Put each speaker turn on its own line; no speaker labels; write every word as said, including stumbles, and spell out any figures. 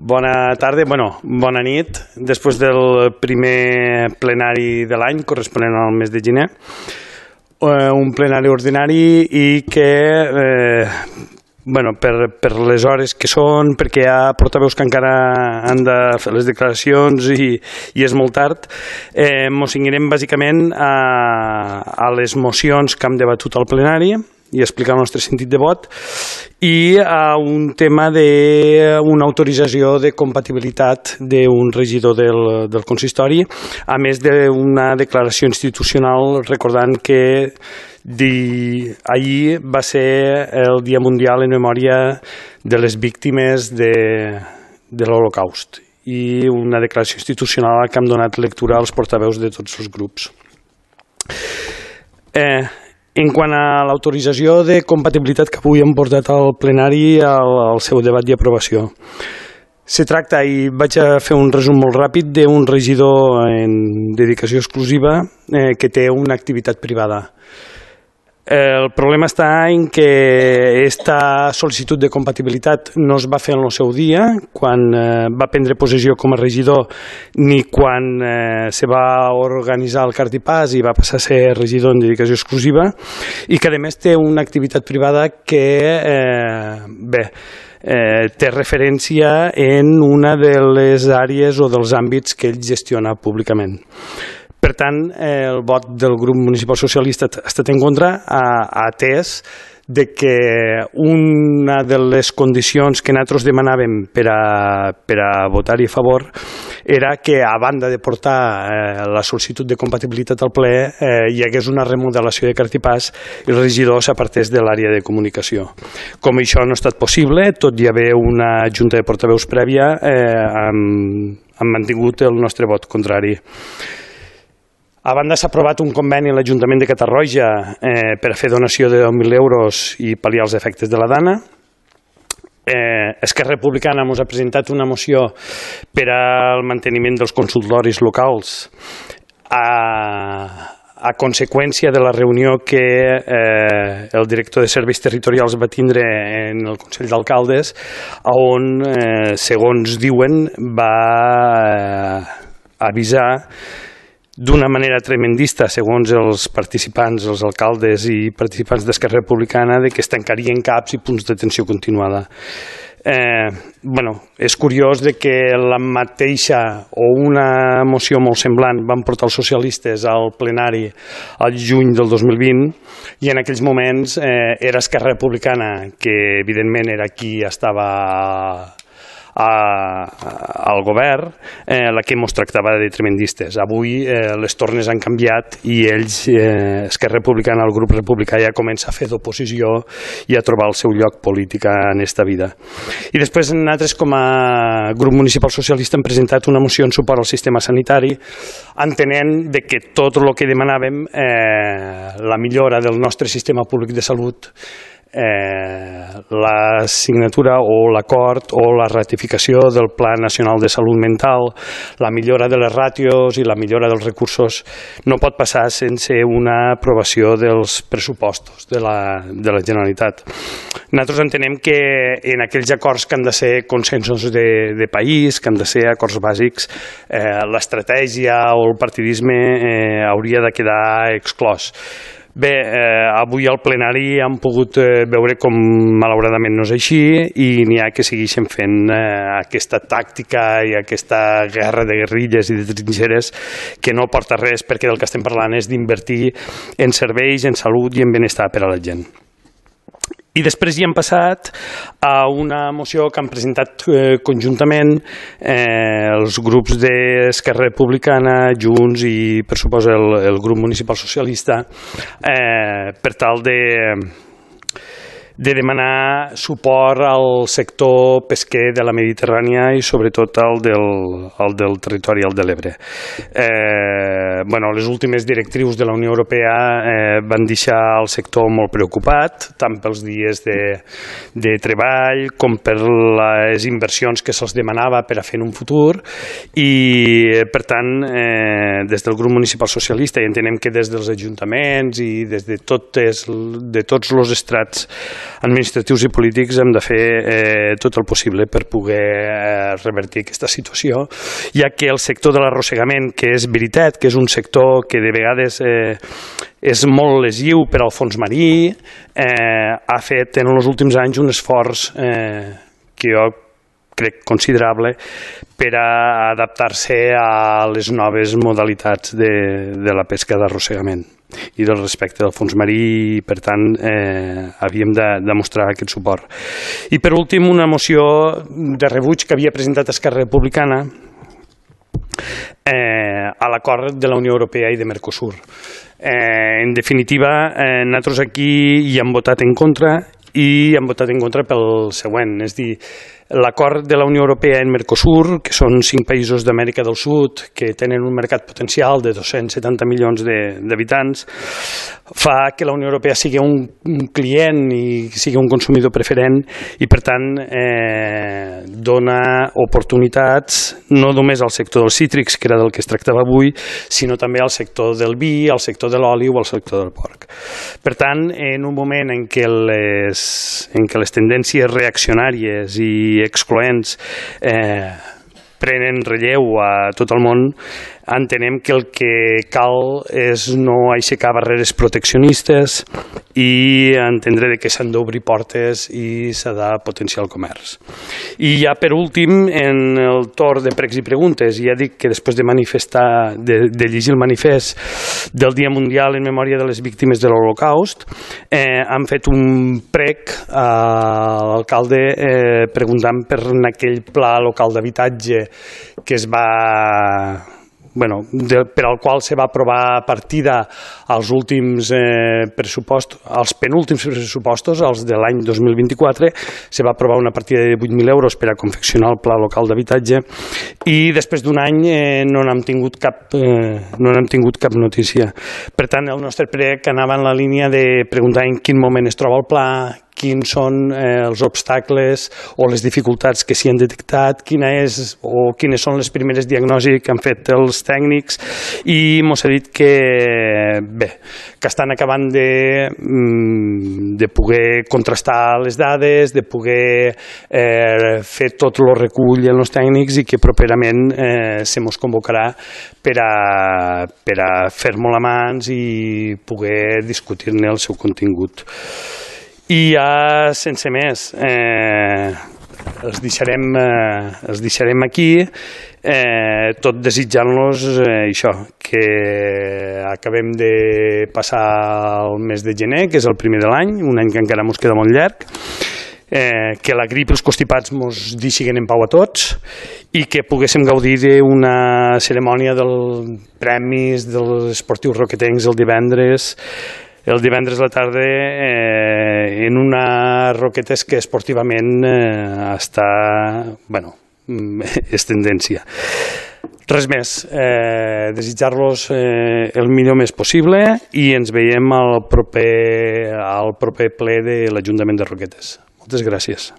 Bona tarda, bueno, bona nit. Després del primer plenari de l'any, corresponent al mes de gener, un plenari ordinari i que, eh, bueno, per, per les hores que són, perquè hi ha portaveus que encara han de fer les declaracions i, i és molt tard, eh, mos cenyirem bàsicament a, a les mocions que hem debatut al plenari i explicar el nostre sentit de vot, i a un tema d'una autorització de compatibilitat d'un regidor del, del consistori, a més d'una declaració institucional recordant que di, ahir va ser el Dia Mundial en memòria de les víctimes de, de l'Holocaust, i una declaració institucional que hem donat lectura als portaveus de tots els grups. Eh, En quant a l'autorització de compatibilitat que avui hem portat al plenari al, al seu debat i aprovació, se tracta, i vaig a fer un resum molt ràpid, d'un regidor en dedicació exclusiva eh, que té una activitat privada. El problema està en que aquesta sol·licitud de compatibilitat no es va fer en el seu dia, quan eh, va prendre possessió com a regidor, ni quan eh, se va organitzar el cartipàs i va passar a ser regidor en dedicació exclusiva, i que a més té una activitat privada que eh, bé, eh, té referència en una de les àrees o dels àmbits que ell gestiona públicament. Per tant, el vot del grup municipal socialista ha estat en contra, ha atès de que una de les condicions que nosaltres demanàvem per a, per a votar-hi a favor era que, a banda de portar eh, la sol·licitud de compatibilitat al ple, eh, hi hagués una remodelació de cartipàs i el regidor s'apartés de l'àrea de comunicació. Com això no ha estat possible, tot i haver una junta de portaveus prèvia, eh, hem, hem mantingut el nostre vot contrari. A banda, s'ha aprovat un conveni a l'Ajuntament de Catarroja eh, per a fer donació de deu mil euros i pal·liar els efectes de la Dana. Eh, Esquerra Republicana ens ha presentat una moció per al manteniment dels consultoris locals a, a conseqüència de la reunió que eh, el director de Serveis Territorials va tindre en el Consell d'Alcaldes, on, eh, segons diuen, va eh, avisar d'una manera tremendista, segons els participants, els alcaldes i participants d'Esquerra Republicana, de que es tancarien CAPs i punts d'atenció continuada. Eh, bueno, és curiós de que la mateixa o una moció molt semblant van portar els socialistes al plenari al juny del dos mil vint, i en aquells moments eh, era Esquerra Republicana, que evidentment era qui estava A, al govern, eh, la que ens tractava de tremendistes. Avui eh, les tornes han canviat i ells, eh, Esquerra Republicana, el grup republicà, ja comença a fer d'oposició i a trobar el seu lloc polític en esta vida. I després nosaltres, com a grup municipal socialista, hem presentat una moció en suport al sistema sanitari, entenent de que tot el que demanàvem, eh, la millora del nostre sistema públic de salut, Eh, la signatura o l'acord o la ratificació del Pla Nacional de Salut Mental, la millora de les ràtios i la millora dels recursos no pot passar sense una aprovació dels pressupostos de la, de la Generalitat. Nosaltres entenem que en aquells acords que han de ser consensos de, de país, que han de ser acords bàsics, eh, l'estratègia o el partidisme eh, hauria de quedar exclòs. Bé, eh, avui al plenari hem pogut eh, veure com malauradament no és així, i n'hi ha que segueixen fent eh, aquesta tàctica i aquesta guerra de guerrilles i de trinxeres que no porta res, perquè del que estem parlant és d'invertir en serveis, en salut i en benestar per a la gent. I després hi hem passat a una moció que han presentat eh, conjuntament eh, els grups d'Esquerra Republicana, Junts i, per suposa, el, el grup municipal socialista, eh, per tal de, de demanar suport al sector pesquer de la Mediterrània i sobretot al del, al del territori al de l'Ebre. Eh, bueno, les últimes directrius de la Unió Europea eh, van deixar el sector molt preocupat, tant pels dies de, de treball com per les inversions que se'ls demanava per a fer en un futur, i per tant eh, des del grup municipal socialista, i entenem que des dels ajuntaments i des de, totes, de tots els estrats administratius i polítics hem de fer eh, tot el possible per poder eh, revertir aquesta situació, ja que el sector de l'arrossegament, que és veritat, que és un sector que de vegades eh, és molt lesiu per al fons marí, eh, ha fet en els últims anys un esforç eh, que jo crec considerable per a adaptar-se a les noves modalitats de, de la pesca d'arrossegament i del respecte del fons marí, i per tant eh, havíem de demostrar aquest suport. I per últim, una moció de rebuig que havia presentat Esquerra Republicana eh, a l'acord de la Unió Europea i de Mercosur. Eh, en definitiva, eh, nosaltres aquí hi hem votat en contra, i han votat en contra pel següent, és dir, l'acord de la Unió Europea en Mercosur, que són cinc països d'Amèrica del Sud que tenen un mercat potencial de dos-cents setanta milions d'habitants, fa que la Unió Europea sigui un, un client i sigui un consumidor preferent, i per tant eh, dona oportunitats no només al sector dels cítrics, que era del que es tractava avui, sinó també al sector del vi, al sector de l'oli o al sector del porc. Per tant, en un moment en què les, en què les tendències reaccionàries i excloents eh, prenen relleu a tot el món, entenem que el que cal és no aixecar barreres proteccionistes i entendre que s'han d'obrir portes i s'ha de potenciar el comerç. I ja per últim, en el torn de pregs i preguntes, ja dic que després de manifestar, de, de llegir el manifest del Dia Mundial en Memòria de les Víctimes de l'Holocaust, eh, han fet un prec a l'alcalde eh, preguntant per aquell pla local d'habitatge que es va... Bueno, de, per al qual se va aprovar partida als últims eh, pressupostos, als penúltims pressupostos, els de l'any dos mil vint-i-quatre, se va aprovar una partida de vuit mil euros per a confeccionar el pla local d'habitatge, i després d'un any eh, no n'hem tingut cap, eh, no n'hem tingut cap notícia. Per tant, el nostre prec anava en la línia de preguntar en quin moment es troba el pla, quins són eh, els obstacles o les dificultats que s'hi han detectat, quina és o quines són les primeres diagnosis que han fet els tècnics, i mos ha dit que bé, que estan acabant de, de poder contrastar les dades, de poder eh, fer tot el recull en els tècnics, i que properament eh, se mos convocarà per a, per a fer-mo la mans i poder discutir-ne el seu contingut. I ja, sense més, eh, els, deixarem, eh, els deixarem aquí, eh, tot desitjant-los eh, això, que acabem de passar el mes de gener, que és el primer de l'any, un any que encara ens queda molt llarg, eh, que la grip i els constipats ens deixin en pau a tots, i que poguéssim gaudir d'una cerimònia dels premis dels esportius roquetencs el divendres, el divendres a la tarda eh, en una roquetes que esportivament eh, està, bueno, és tendència. Res més, eh, desitjar-los eh, el millor més possible, i ens veiem al proper, al proper ple de l'Ajuntament de Roquetes. Moltes gràcies.